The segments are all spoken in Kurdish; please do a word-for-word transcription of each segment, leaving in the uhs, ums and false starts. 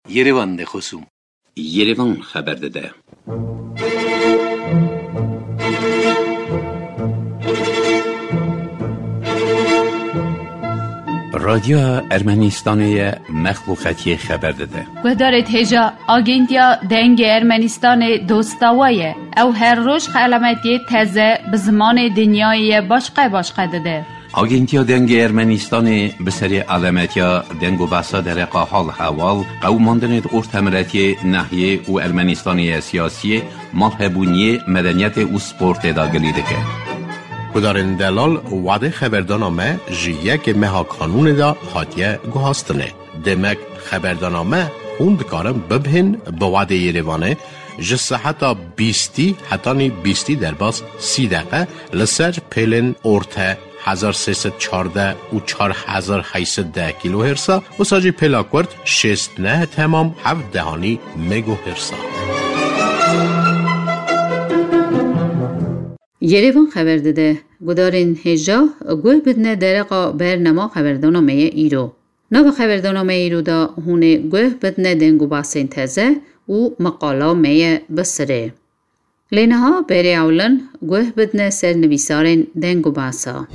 Yerevan de xosûm. Yerevan xeber dide. Radyoya Ermenistanê ye, mexluqetiyê xeber dide. Guhdarê hêja, Agentiya Dengê Ermenistanê dosta we ye. Ew her roj xelametiyê teze bi zimanê dinyayê ye başqe başqe dide. Agentiya Dengê Ermenistanê bi serê alemetiya deng û behsa dereqa hal hewal, qewimandinê di ortemiretiyê, nehiyê û Ermenistanê ye siyasiyê, malhebûniyê, medeniyetê û sportê de gilî dike. Gudarên delal, wadê xeberdana me ji yekê meha kanûnê de hatiye guhastinê. Demek xeberdana me hûn dikarin bibihên bi wadê Yerevanê ji seheta bîstî hetanî bîstî derbas sî deqe li ser pêlên orte hezar sê sed çardeh û çar hezar heyt sed deh kîlohêrsa, wisa jî pêla kurt şêst neh temam heft dehanî megohêrsa. Yerevan xeber dide, gudarên hêja guh bidine dereqa bernama xeberdana me ye îro. Nava xeberdana me îro de hûn ê guh bidine deng û basên teze û meqala me ye bi sirê. Lê niha berê ewlin guh bidine ser nivîsarên deng û basa.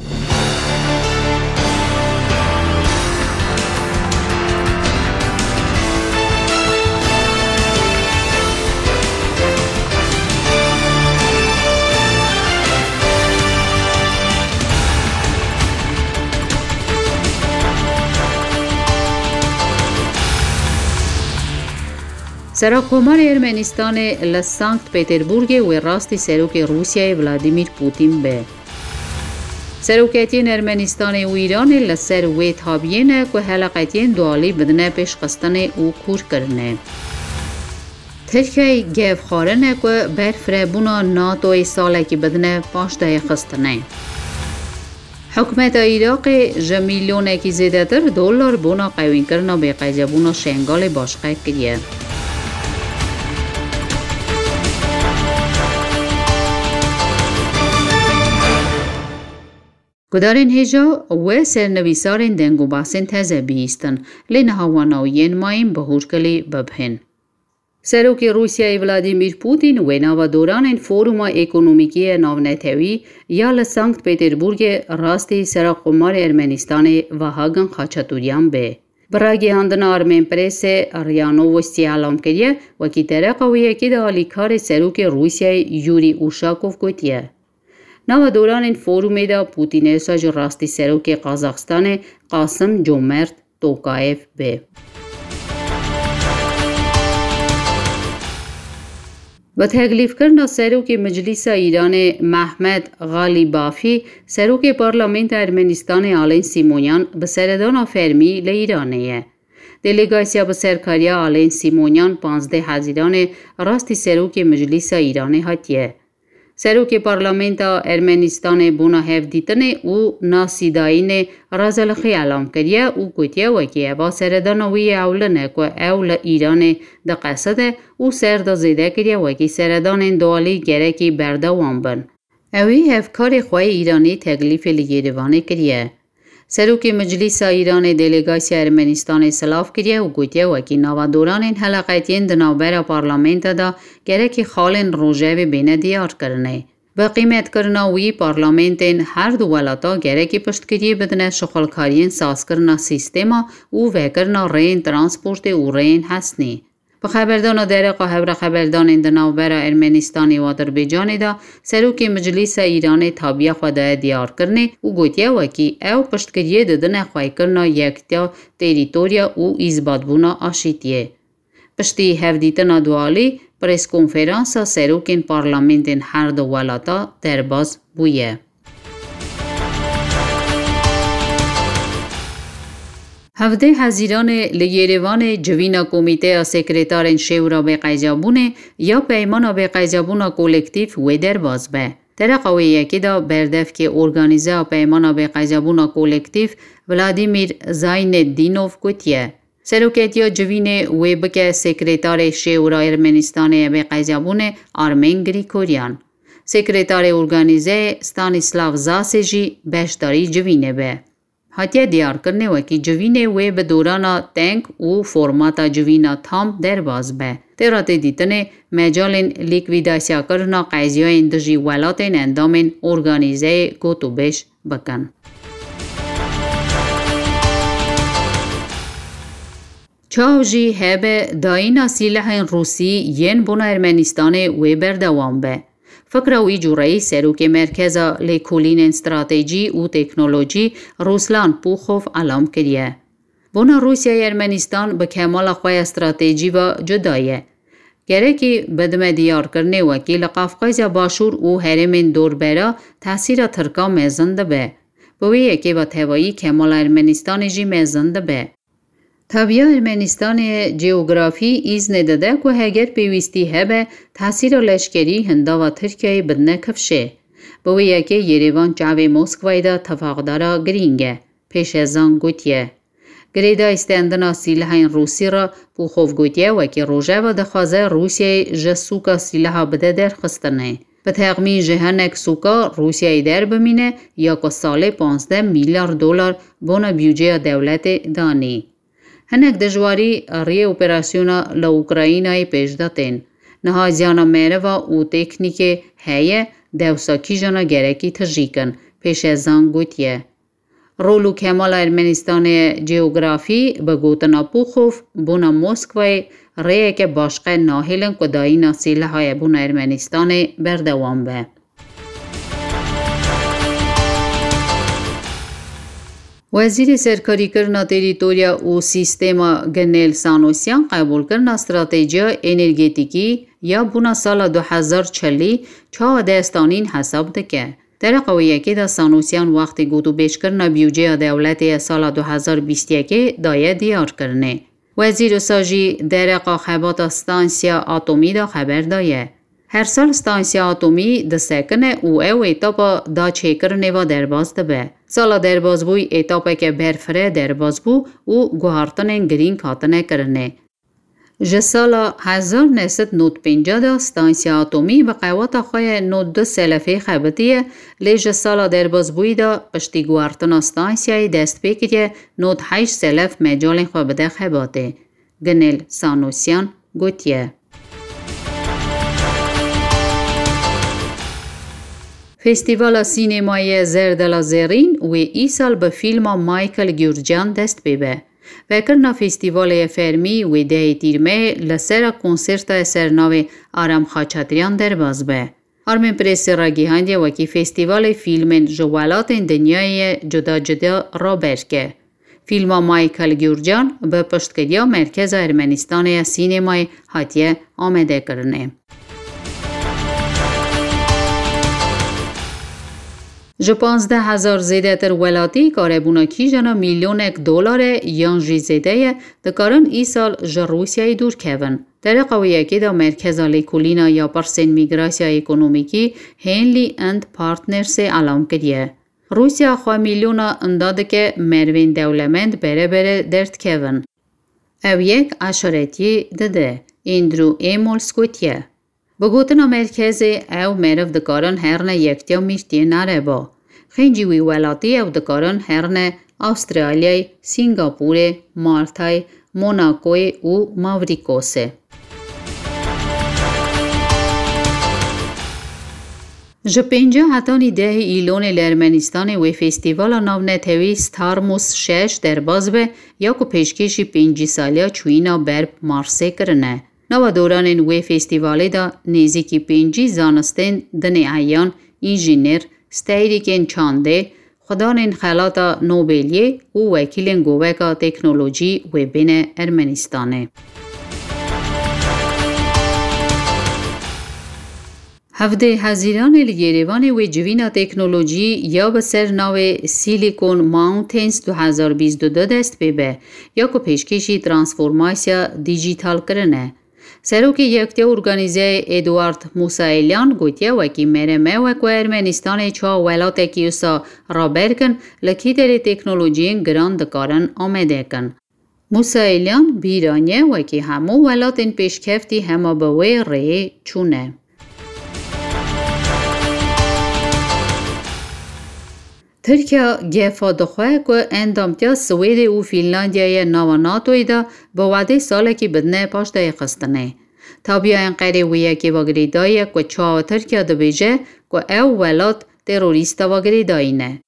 Serokkomarê Ermenistanê li Sankt Peterburgê wê rastî serokê Rûsyayê Vladimir Putin be. Seroketiyên Ermenistanê û Îranê li ser wê tabiyê ne ku heleqetiyên dualî bidine pêşxistinê û kûrkirinê. Tirkiyeyê gev xwarine ku berfirebûna NATOyê salekî bidine paşdayîxistinê. Hikûmeta Iraqê ji milyonekî zêdetir dolar bona qewînkirina bêqeydebûna Şengalê başqe kiriye. Gudarên hêja we sernivîsarên deng û basên teze bihîstin, lê niha wana û yên mayîn bi hûrkilî bibihên. Serokê Rûsyayê Vladimir Putin wê nava doranên Foruma Ekonomîkî ya Navnetewî ya li Sankt Peterburgê rastî Serokkomarê Ermenistanê Vahagin Xaçatûryan bê. Bi ragihandina Armenpressê, RIA Novosti elam kiriye, wekî dereqa wê yekê de alîkarê serokê Rûsyayê Yurî Uşakov gotiye. Nava doranên forumê de Putin ê wisa ji rastî serokê Qazaxistanê Qasim Comert Tokayev bê. Bi teklîfkirina serokê Meclîsa Îranê Mehmet Xalîbafî, serokê Parlamenta Ermenistanê Alên Sîmonyan bi seredana fermî li Îranê ye. Delegasiya bi serkariya Alên Sîmonyan panzdeh Hezîranê rastî serokê Meclîsa Îranê hatiye. Serokê Parlamenta Ermenistanê bona hevdîtinê û nasîdayînê Razelixî elam kiriye û gotiye wekî eva seredana wî yê ewlin e ku ew li Îranê diqeside û ser de zêde kiriye wekî seredanên dualî gerekî berdewam bin. Ewî hevkarê xwe yê Îranî teklîfê li Yêrêvanê kiriye. Serokê Meclîsa Îranê delegasiya Ermenistanê silav kiriye û gotiye wekî nava doranên heleqetiyên di navbera parlamenta de gerekî xalên rojevê bêne diyarkirinê. Bi qîmetkirina wî parlamentên her du welata gerekî piştgiriyê bidine şixulkariyên sazkirina sîstema û vekirina rêyên transportê û rêyên hesnî. Bi xeberdana dereqa hevre xeberdanên di navbera Ermenistanê û Adirbaycanê de, serokê Meclîsa Îranê tabiya xwe daye diyarkirinê û gotiye wekî ew piştgiriyê didine xweykirina yektiya terîtorya û îzbatbûna aşîtiyê. Piştî hevdîtina dualî, preskonferansa serokên parlamentên her du welata derbas bûye. Hevdeh Hezîranê li Yêrêvanê civîna Komîteya Sekretarên Şêwra Bêqeycabûnê ya Peymana Bêqeycabûna Kolektîf wê derbas be. Dereqa wê yekê de berdevkê organîzeya Peymana Bêqeycabûna Kolektîf Vladimir Zayneddinov gotiye, seroketiya civînê wê bike Sekretarê Şêwra Ermenistanê ya Bêqeycabûnê Armen Grigoryan. Sekretarê organîzeyê Stanislav Zase jî beşdarî civînê be. Hatiye diyarkirinê wekî civînê wê bi dorana teng û formata civîna tam derbas be. Tê re tê dîtinê mecalên lîkwîdasyakirina qeziyayên dijî welatên endamên organîzeyê gotûbêj bikin. Çav jî hebe dayîna sîlehên Rûsî yên bona Ermenistanê wê berdewam be. Fikra wî cûreyî serokê Merkeza Lêkolînên Stratejî û Teknolojî Ruslan Puxov elam kiriye. Bona Rûsyayê Ermenistan bi kemala xwe ya stratejî ve cuda ye. Gerekî bidime diyarkirinê wekî li Qafqazya Başûr û herêmên dorbera tesîra Tirka mezin dibe. Bi wê yekê ve tevayî kemala Ermenistanê jî mezin dibe. Tabiya Ermenistanê coğrafî îznê dide ku heger pêwîstî hebe, tesîra leşkerî hindava Tirkiyeyê bidine kifşê. Bi wê yekê Yerêvan çavê Moskwayê de tefaqdara girîng e, Pêşezan gotiye. Girêdayî stendina sîlehên Rûsî re Puxov gotiye, wekî rojeva dixwaze Rûsyayê ji sûka sîleha bide derxistinê. Bi texmîn ji hinek sûka Rûsyayê derbimîne ya ku salê panzdeh milyar dolar bona bûdceya dewletê danî. Hinek dijwarî riyê operasyona li Ukraynayê pêş de tên. Niha ziyana meriva û teknîkê heye, dewsa kîjana gerekî tijî kin, Pêşezan gotiye. Rol û kemala Ermenistanê coğrafî, bi gotina Puxov, bona Moskwayê rêyeke başqe nahêlin ku dayîna sîlehayê bona Ermenistanê berdewam be. Wezîrê Serkarîkirina Terîtorya û Sîstema Ginêl Sanosyan qebûlkirina stratejiya energetîkî ya bona sala du hezar çilî çawa dest anîn hesab dike. Dereqa wê yekê de Sanosyan wextê gotûbêjkirina bûdceya dewletê ya sala du hezar bîst yekê daye diyarkirinê. Wezîr wisa jî dereqa xebata stansiya atomî de xeber daye. Her sal stansiya atomî disekine û ew etapa daçêkirinê ve derbas dibe. Sala derbasbûyî etapeke berfireh derbas bû û guhartinên girîng hatine kirinê. Ji sala hezar neh sed nod pêncî de stansiya atomî bi qewata xwe ya nod du selefê xebitiye, lê ji sala derbasbûyî de piştî guhartina stansiyayê dest pê kiriye nod heşt selef mecalên xwe bide xebatê. Ginêl Sanosyan gotiye. Festîvala Sînemayê Zerdela Zerîn wê îsal bi fîlma Michael Gurcan dest pê be. Vekirina festîvalê ye fermî wê dehê Tîrmehê li sera konserta ye ser navê Aram Xaçatryan derbas be. Armên Presê ragihandiye wekî festîvalê fîlmên ji welatên dinyayê ye cuda cuda raber ke. Fîlma Michael Gurcan bi piştgiriya Merkeza Ermenistanê ya Sînemayê hatiye amadekirinê. Ji panzdeh hezar zêdetir welatî karebûna kîjana milyonek dolare yan jî zêde ye, dikarin îsal ji Rûsyayê dûr kevin. Dereqa wê yekê de Merkeza Lêkolîna ya Pirsên Mîgrasya Ekonomîkî Henley and Partnersê elam kiriye. Rûsya xwe milyona inda dike merivên dewlemend bere bere derdikevin. Ew yek eşaretiyê dide, Andrew Amos gotiye. Bi gotina merkezê ew meriv dikarin herine yektiya mîrtiyên ereba. Xêncî wî welatî ew dikarin herine Astralyayê, Singapûrê, Maltayê, Monakoyê û Mavrîkosê. Ji pêncî hetanî dehê Îlonê li Ermenistanê wê festîvala navnetewî Starmus şeş derbas be ya ku pêşkêşî pêncî saliya çûyîna ber bi Marsê kirine. Nava doranên wê festîvalê de nêzîkî pêncî zanistên dinê eyan, înjîner, steyrekên çandê, xwedanên Xelata Nobeliyê û wekîlên goveka teknolojî wê bêne Ermenistanê. Hevdê Hezîranê li Yerêvanê wê civîna teknolojî ya bi ser navê Silicon Mountains du hezar bîst û du dest pê be, ya ku pêşkêşî transformasiya dîjîtal kirine. Serokê Yektiya Organîzeyê Eduard Musaelyan gotiye, wekî mere me wek we Ermenistanê çawa welatekî wisa raber kin, li kîderê teknolojiyên giran dikarin amede kin. Musaelyan bîr aniye, wekî hemû welatên pêşkeftî hema bi wê rêyê çûne. Tirkiye gefa dixwe ku endamtiya Swêdê û Fînlandiyayê nava NATOyê de bi wedê salekî bidine paşdayîxistinê. Tabiya Enqerê wê yekê ve girêdayî ye ku çawa Tirkiye dibêje ku ew welat terorîsta ve girêdayî ne.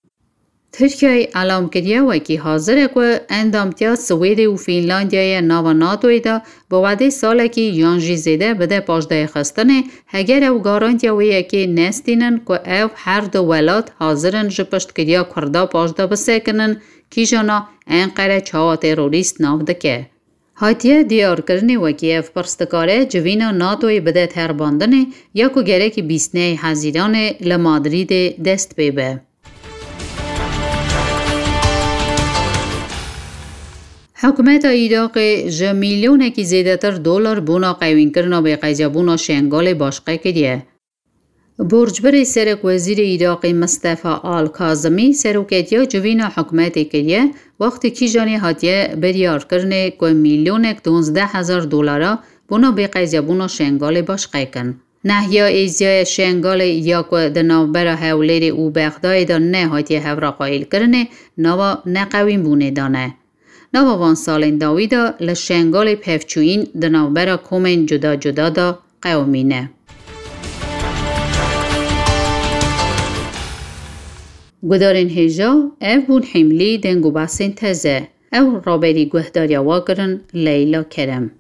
Tirkiyeyê elam kiriye wekî hazir e ku endamtiya Swêdê û Fînlandiyayê nava NATOyê de bi wedê salekî yan jî zêde bide paşdayîxistinê, heger ew garantiya wê yekê nestînin ku ev her du welat hazir in ji piştgiriya Kurda paşda bisekinin, kîjana Enqere çawa terorîst nav dike. Hatiye diyarkirinê wekî ev pirs dikare civîna NATOyê bide terbandinê ya ku gerekî bîst nehê Hezîranê li Madrîdê dest pê be. Hikûmeta Iraqê ji milyonekî zêdetir dolar bona qewînkirina bêqeydiyabûna Şengalê başqe kiriye. Borcbirê serekwezîrê Iraqê Mistefa Al-Kazimî seroketiya civîna hikûmetê kiriye, wextê kîjanê hatiye biryarkirinê ku milyonek duwazdeh hezar dolara bona bêqeydiyabûna Şengalê başqe kin. Nehya êziyaya Şengalê ya ku di navbera Hewlêrê û Bexdayê de nehatiye hevra qayîlkirinê, nava neqewînbûnê de ne. Nava van salên dawî de li Şengalê pevçûyîn di navbera komên cuda cuda de qewimîne. Gudarên hêja, ev bûn hîmlî deng û behsên teze. Ew raberî guhdariya we kirin Leyla Kerem.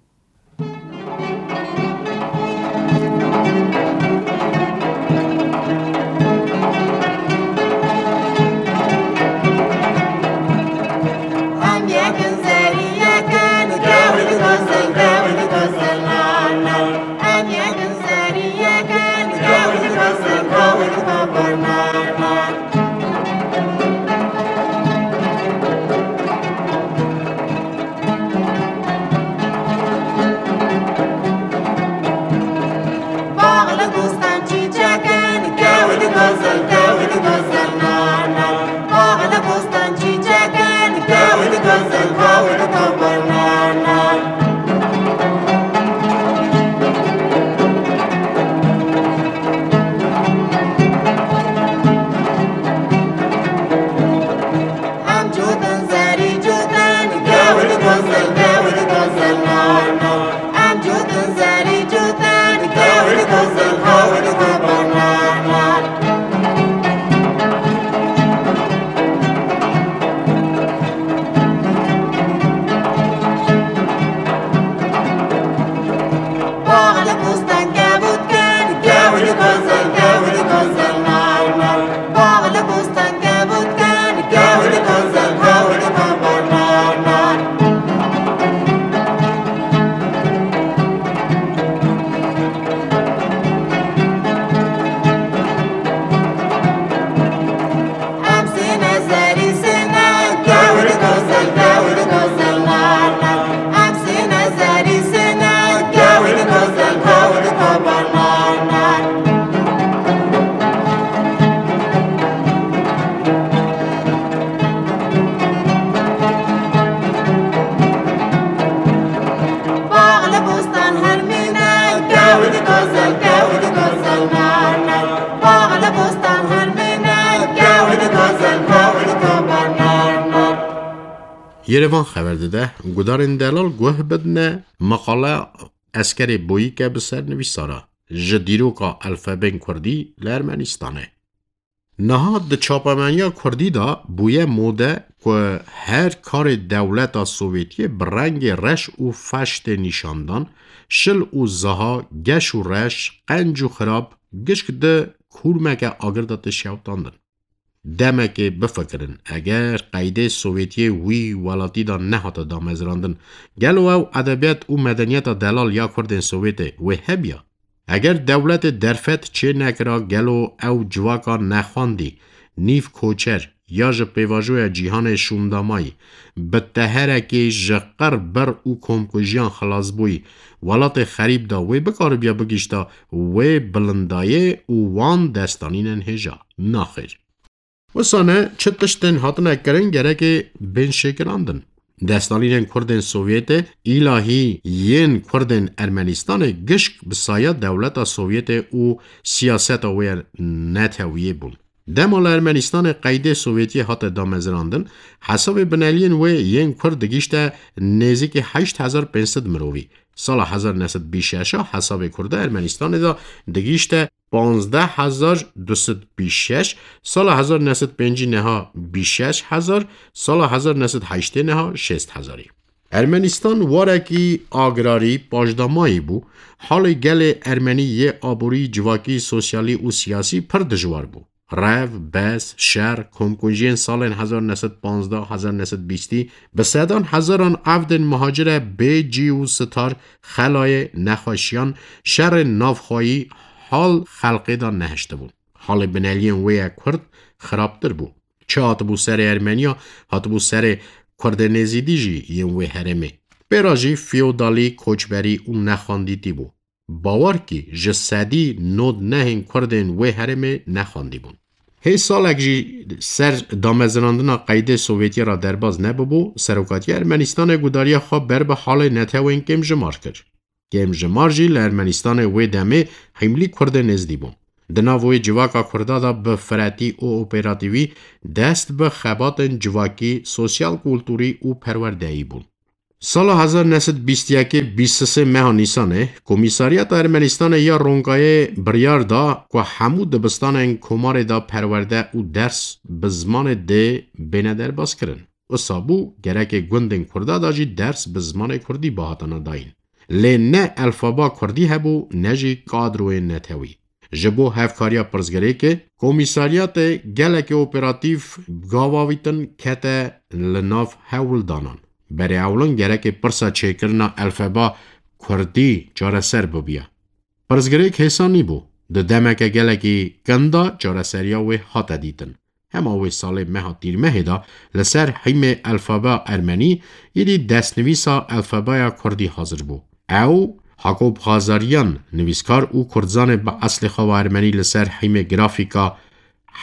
Yerevan xeber dide, gudarên delal guh bidine, meqale Eskerê Boyîke bi ser nivîsara, ji dîroka alfabeyên kurdî li Ermenistanê. Niha di çapemeniya kurdî de bûye mode ku her karê dewleta Sovyetiyê bi rengê reş û feş tê nîşandan, şil û ziha, geş û reş, qenc û xirab, gişk di kûrmeke agir de tê şewitandin. Demekê bifikirin, eger qeydê Sovyetiyê wî welatî de nehate damezrandin, gelo ew edebiyat û medeniyeta delal ya kurdên Sovyetê wê hebiya? Eger dewletê derfet çê nekira, gelo ew civaka nexwendî, nîv koçer ya ji pêvajoya cîhanê şûndamayî, bi teherekê ji qir, bir û komkujiyan xilasbûyî, welatê xerîb de wê bikaribiya bigihîşta wê bilindayê û wan destanînên hêja? Naxêr. Wisa ne, çi tiştên hatine kirin gerekê bên şêkirandin. Destanînên kurdên Sovyetê, îlahî yên kurdên Ermenistanê gişk bi saya dewleta Sovyetê û siyaseta wê netewiyê bûn. Dema li Ermenistanê qeydê Sovyetiyê hate damezrandin, hesabê bineliyên wê yên Kurd digihîşte nêzîkî heşt hezar pênc sed mirovî. Sala hezar neh sed bîst şeş a hesabê Kurda Ermenistanê de digihîşte panzdeh hezar du sed bîst şeş, sala hezar neh sed pêncî neha bîst şeş hezar, sala hezar neh sed heştê neha şêst hezarî. Ermenistan warekî agrarî, paşdamayî bû. Halê gelê ermenî yê aborî, civakî, sosyalî û siyasî pir dijwar bû. Rev, bes, şer, komkujiyên salên hezar neh sed panzdeh, hezar neh sed bîstî, bi sedan hezaran evdên muhacire bê cî û sitar, xelayê, nexweşiyan, şerên navxweyî hal xelqê de nehiştibûn. Halê bineliyên wê yê Kurd xirabtir bû. Çi hatibû serê Ermeniya, hatibû serê Kurdên Êzîdî jî yên wê herêmê. Pê re jî feodalî, koçberî û nexwendîtî bû. Bawer kî ji sedî nod nehên Kurdên wê herêmê nexwendîbûn. Hê salek jî ser damezrandina qeydê Sovyetiyê re derbas nebibû, serokatiya Ermenistanê gudariya xwe ber bi halê netewên kêmjimar kir. Kêmjimar jî li Ermenistanê wê demê hîmlî Kurdên Êzdî bûn. Di nav wê civaka Kurda de bi firetî û operatîvî dest bi xebatên civakî, sosyal, kulturî û perwerdeyî bûn. Sala hezar neh sed bîst yekê bîst sisê meha Nîsanê, Komîsaryata Ermenistanê ya Ronkayê biryar da ku hemû dibistanên komarê de perwerde û ders bi zimanê dê bêne derbaskirin. Wisa bû, gerekê gundên Kurda de jî ders bi zimanê Kurdî bihatana dayîn. Lê ne elfaba Kurdî hebû, ne jî kadroyên netewî. Ji bo hevkariya pirsgirêkê, komîsaryatê gelekî operatîf gavavîtin kete li nav hewldanan. Berê ewlin gerekê pirsa çêkirina elfeba Kurdî çareser bibiya. Pirsgirêk hêsan nîbû. Di demeke gelekî kin de çareseriya wê hate dîtin. Hema wê salê meha Tîrmehê de li ser hîmê elfaba ermenî, êdî destnivîsa elfabaya Kurdî hazir bû. Ew, Hakop Xazariyan, nivîskar û kurdzanê bi eslê xwe ve ermenî, li ser hîmê grafîka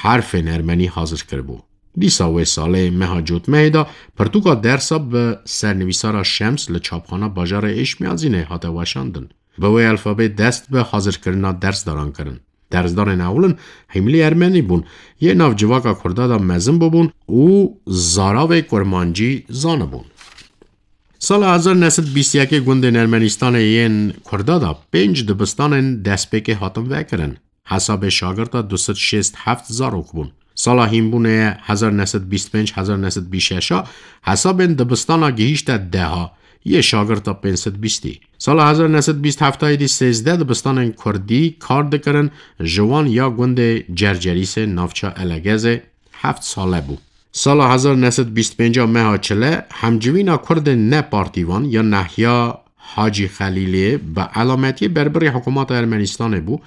herfên ermenî hazir kiribû. Dîsa wê salê meha Cotmehê de pirtûka dersa bi sernivîsara Şems li çapxana bajarê Êşmiyazînê hate weşandin. Bi wê elfabê dest bi hazirkirina dersdaran kirin. Dersdarên ewlin hîmlî ermenî bûn, yê nav civaka Kurda de mezin bûbûn û zaravê kurmancî zanibûn. Sala hezar neh sed bîst yekê gundên Ermenistanê yên Kurda de pênc dibistanên destpêkê hatin vekirin. Hesabê şagirta du sed şêst heft zarok bûn. Sala hînbûnê ye hezar neh sed bîst pênc, hezar neh sed bîst şeş a, hesabên dibistana gihîşte deha, yê şagirta pênc sed bîstî. Sala hezar neh sed bîst heft a êdî sêzdeh dibistanên Kurdî kar dikirin, ji wan ya gundê Cercerîsê navça Elegezê heft sale bû. Sala hezar neh sed bîst pênc a meha Çile, hemcivîna Kurdên ne partîvan ya Nehya Hacî Xelîlê bi elametiyê berbirî hikûmeta Ermenistanê bû,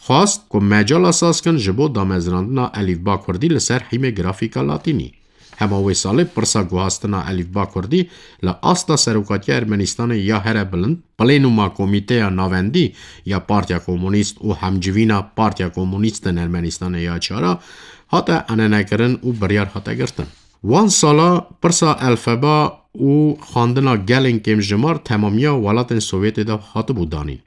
xwast ku mecala saz kin ji bo damezrandina elîfba Kurdî li ser hîmê grafîka Latînî. Hema wê salê pirsa guhastina elîfba Kurdî li asta serokatiya Ermenistanê ya here bilind, Plênuma Komîteya Navendî ya Partiya Komunîst û hemcivîna Partiya Komunîstên Ermenistanê ya çar a, hate enenekirin û biryar hate girtin. Wan sala pirsa elfeba û xwendina gelên kêmjimar temamiya welatên Sovyetê de hatibû danîn.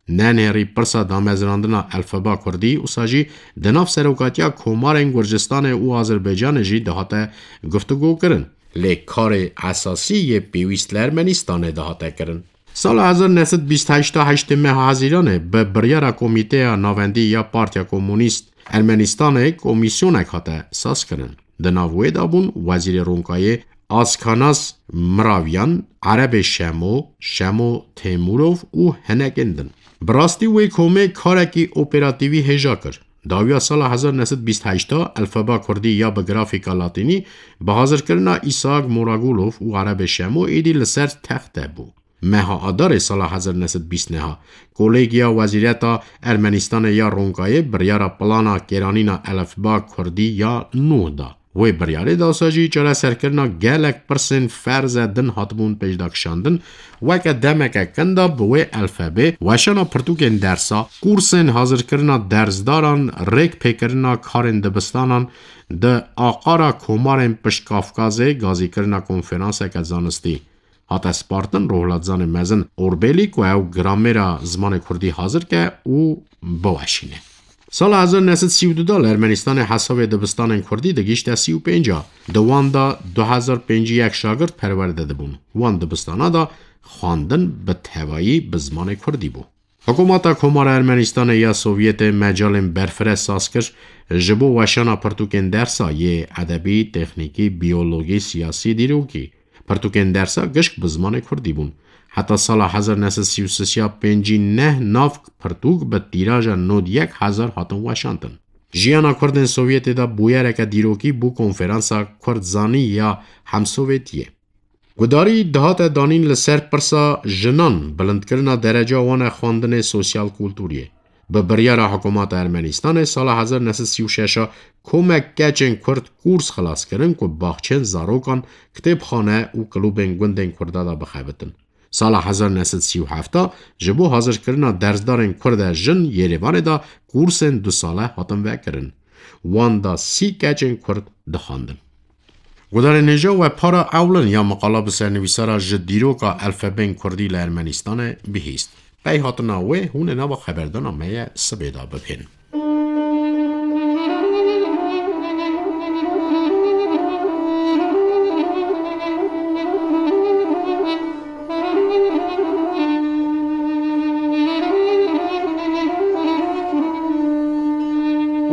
Nenêrî pirsa damezrandina elfeba Kurdî wisa jî di nav serokatiya komarên Gurcistanê û Azerbaycanê jî dihate guftûgokirin. Lê karê esasî yê pêwîst li Ermenistanê dihate kirin. Sala hezar neh sed bîst heşt a heştê meha Hezîranê bi biryara Komîteya Navendî ya Partiya Komunîst Ermenistanê komîsyonek hate sazkirin. Di nav wê de bûn Wezîrê Ronkayê Askanas Miravyan, Erebê Şemo, Şemo Temurov û hinekên din. Bi rastî wê komê karekî operatîvî hêja kir. Dawiya sala hezar neh sed bîst heşt a elfeba Kurdî ya bi grafîka Latînî bi hazirkirina Îsak Moragulov û Erebê Şemo êdî li ser texte bû. Meha Adarê sala hezar neh sed bîst neha, Kolêgiya Wezîreta Ermenistanê ya Ronkayê biryara plana kêranîna elefba Kurdî ya nû da. Wê biryarê de wisa jî çareserkirina gelek pirsên ferze din hatibûn pêşdakişandin, weke demeke kin de bi wê elfebê weşana pirtûkên dersa, kursên hazirkirina dersdaran, rêkpêkirina karên dibistanan, di aqara komarên Pişt Kafkazê gazîkirina konferanseke zanistî hate spartin rûhlatzanê mezin Orbelî ku ew gramêra zimanê Kurdî hazir ke û biweşîne. Sala hezar neh sed sî û du de li Ermenistanê hesabê dibistanên kurdî digihîşte sî û pênc a. Di wan de du hezar pêncî yek şagirt perwerde dibûn. Wan dibistana de xwendin bi tevayî bi zimanê kurdî bû. Hikûmeta Komara Ermenistanê ya Sovyetê mecalên berfireh saz kir, ji bo weşana pirtûkên dersa yê edebî, teknîkî, biyologî, siyasî, dîrokî. Pirtûkên dersa gişk bi zimanê kurdî bûn. Heta sala hezar neh sed sî û sê ya pêncî neh nav pirtûk bi tîraja nod yek hezar hatin weşantin. Jiyana kurdên Sovyetê de bûyereke dîrokî bû konferansa Kurdzanî ya Hemsovyetiyê. Gudarî dihate danîn li ser pirsa jinan, bilindkirina dereca wan e xwendinê sosyal-kulturiyê. Bi biryara hikûmeta Ermenistanê sala hezar neh sed sî û şeş a komek keçên kurd kûrs xilas kirin ku baxçên zarokan, kitêbxane û klûbên gundên kurda de bixebitin. Sala hezar neh sed sî û heft a ji bo hazirkirina dersdarên kurd e jin Yerêvanê de kûrsên du sale hatin vekirin. Wan de sî keçên kurd dixwendin. Gudarên hêja, we para ewlin ya miqala bi sernivîsara ji dîroka elfebeyên kurdî li Ermenistanê bihîst. Pey hatina wê hûn ê nava xeberdana me ye sibê de bibihên.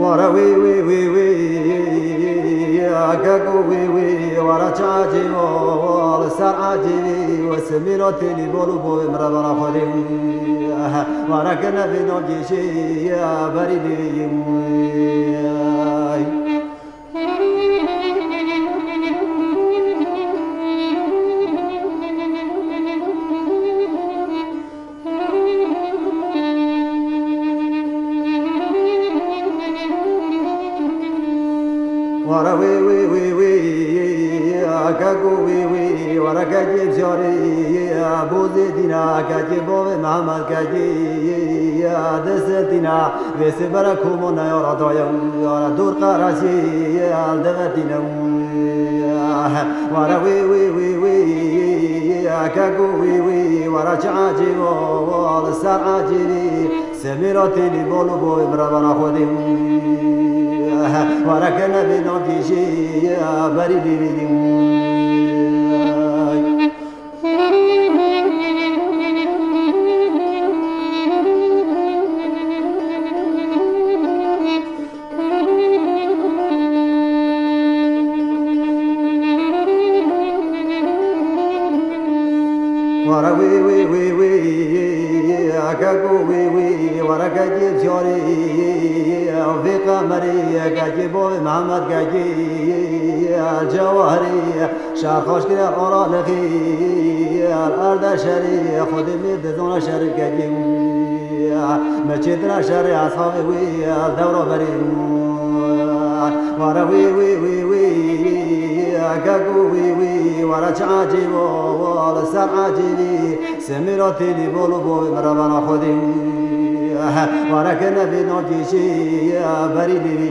Wara wî, wî, wî, wî, keko wî, wî, wara çi ecêb o, li ser ecêbî, we simîra têlî bol û bovê min re bera xwedê. Wara ke nevê nagêşê, berî lê yê. Wara wê, wê, wê, wê, keko wê, wê, wara kekê carê, bozê dîna, kekê bavê Mehmed, kekê, desetîna. Vê sibere komona ya ra daye, ya ra dor qeresî, el devetîne. Wara wî, wî, wî, wî, keko wî, wî, wara çi ecêb o, li ser ecêbî. Semîra têlî bol û bovê min re bera xwedê. Wara ke nevê nagêşê, berî lê vê. Wara wî, wî, wî, wî, keko wî, wî, wara kekê carê, vê qemerê, kekê bavê Mehmed, kekê Cewahirê. Şer xweş kire, ara lixî, el erde şerî, Xwedê mêr dizana şerî kekî. Me çêtira şerê eshabê wî, el dewra berî. Wara wî, wî, wî, wî, keko wî, wî, wara çi ecêb o, li ser ecêbî. Semîra têlî bol û bovê min re bera xwedê. Wara ke nevê nagêşê, berî lê vê.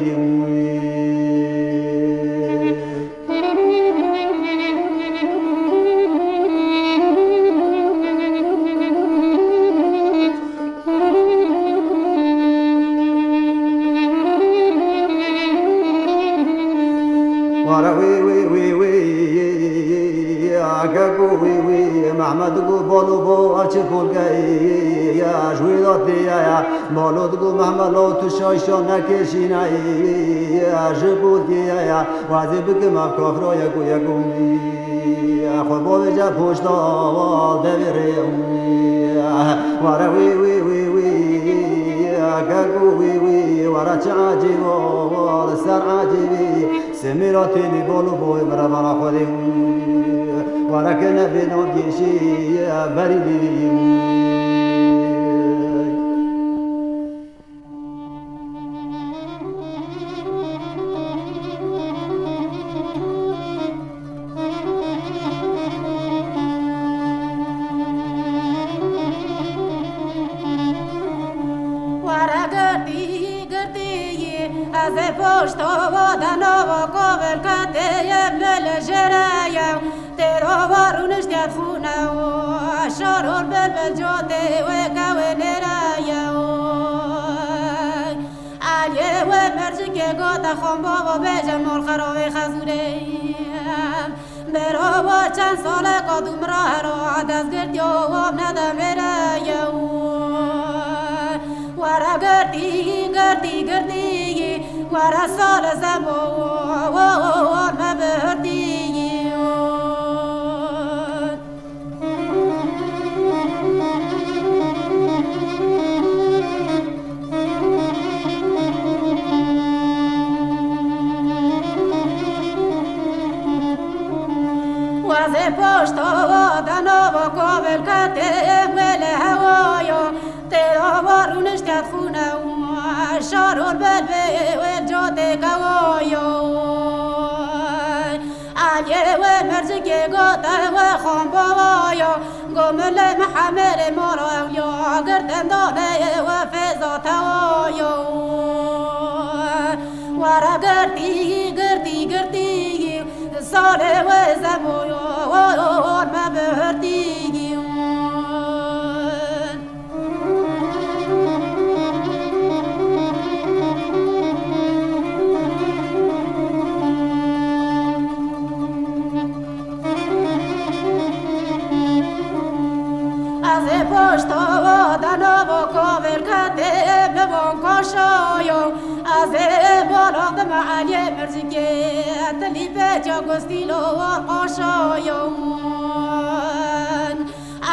Wara wî, wî, wî, wî, keko wî, wî, Mehmed got, balo bo, a çi kolkeyî, ya ji wî de tê ya, ya. Balo digot, Mehmed lo, tu şaşa nekê şînayî, ya, ji kolkê ya, ya. Wazê bikim ev kafira yeko yeko. Xwe bavêje poşta devê rê. Were wî, wî, wî, wî, keko wî, wî, were çi ecêb o, li ser ecêbî. Semîra têlî bol û boyê min re bera xwedê. Were ke nevê nagêşî, berî lê. Were girtî, girtî, ez ê poşta wa de nava kovelketê ye min li jêre ye. Têro wa rûniştiye xûne û şaror bil bil cotê wê kewê nêre ye. Gote xan bava bêje mal xeravê xezûrê. Berava çend saleka dû miraro destgirtiyo wan nedemêreyo. Were girtî, girtî, girtî, were sal zemo, wan me bihirtî. Wazê poşta dana va kavel kete wele hewaya, têra va rûniştet xûne û şarol belbê wê cotê kewaya. Aliyê wê mercikê gote wê xan bawaya, go milê Mihemerê mala ewliya, girtin daneyê wê fêza tewaya. Were girtî, girtî, girtî, salê wê zemoya, me bihirtî. Ez ê poşta dana va kavel kete bi van kaşayo. Ez ê bala dime Eliyê Mircikê, tilî pêça gustîlo war qaşayo.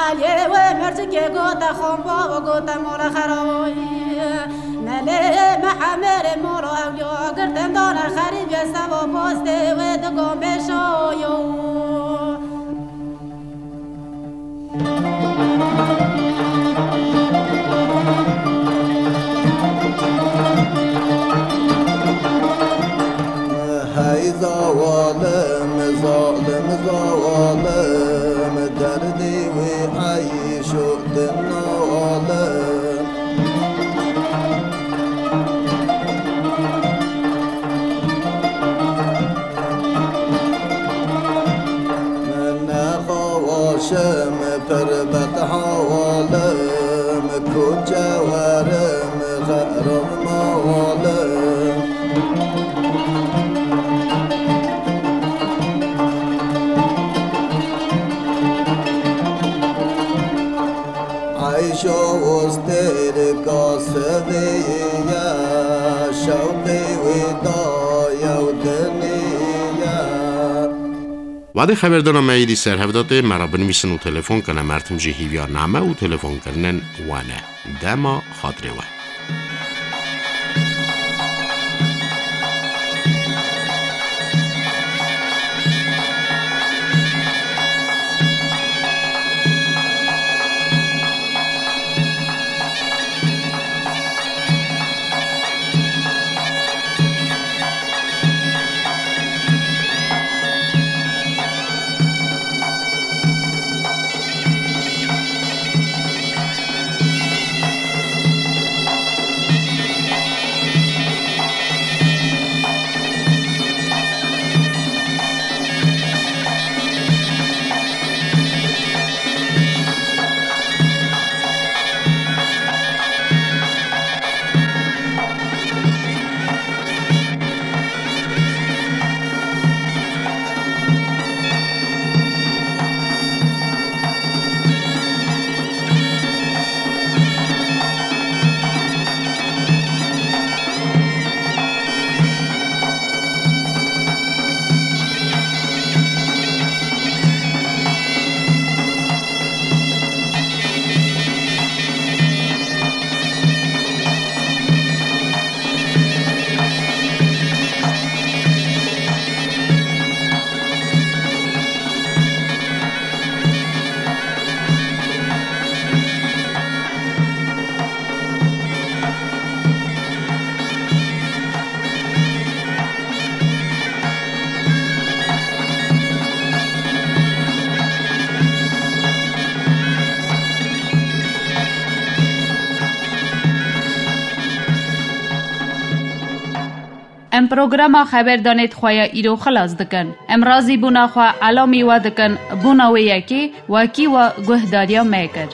Aliyê wê mercikê gote xan bava gote mala xerawayî. Melê Mihemerê mala ewliya, girtin dane xerîbê seba postê wê digo mêşayo. Hey zawalim, zalim zawalim, derdê wê eyşo din nawalim. Min nexawaşim pir bet hawalim, koçe werim xeram mawalim. Eyşo û stêrika sivî ye, şewqê wê daye û dinî ye. Wadê xeberdana me êdî ser hev de tê, me re binivîsin û telefon kene, mertim jî hîviya name û telefonkirinên we ne. Dema xatirê we. Em programa xeberdanê di xwe ya îro xilas dikin. Em razîbûna xwe elamî we dikin, bûna wê yekê wekî we guhdariya me kir.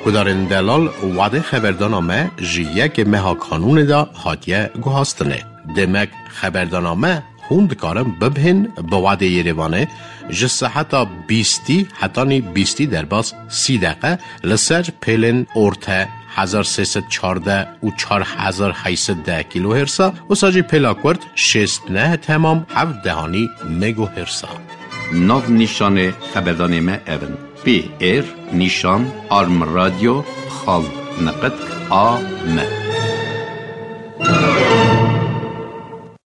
Guhdarên delal, wadê xeberdana me ji yekê meha Kanûnê de hatiye guhastinê. Demek xeberdana me hûn dikarin bibihên bi wadê Yerêvanê ji seheta bîstî hetanî bîstî derbas sî deqe li ser pêlên orte hezar sê sed çardeh û çar hezar heyt sed deh kilohersa, wisa jî pêla kurt şêst neh temam heft dehanî megohersa. Nav nîşanê xeberdanê me ev in: P R nîşan arm radio xal neqet A M.